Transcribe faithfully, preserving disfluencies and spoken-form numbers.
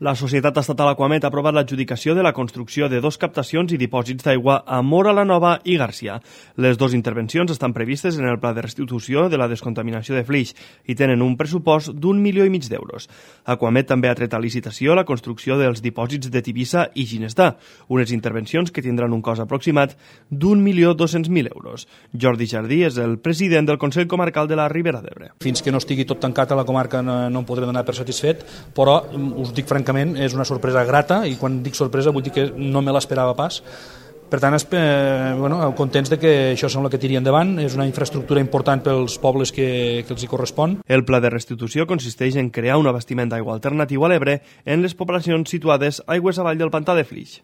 La Societat Estatal Aquamet ha aprovat l'adjudicació de la construcció de dos captacions i dipòsits d'aigua a Móra la Nova i Garcia. Les dues intervencions estan previstes en el pla de restitució de la descontaminació de Flix i tenen un pressupost d'un milió i mig d'euros. Aquamet també ha tret a licitació la construcció dels dipòsits de Tivissa i Ginestà, unes intervencions que tindran un cost aproximat d'un milió dos-cents mil euros. Jordi Jardí és el president del Consell Comarcal de la Ribera d'Ebre. Fins que no estigui tot tancat a la comarca no, no em podré donar per satisfet, però us dic francament és una sorpresa grata, i quan dic sorpresa vull dir que no me l'esperava pas. Per tant, eh, bueno, contents de que això sembla que tiri endavant. És una infraestructura important pels pobles que, que els hi correspon. El pla de restitució consisteix en crear un abastiment d'aigua alternatiu a l'Ebre en les poblacions situades aigües avall del pantà de Flix.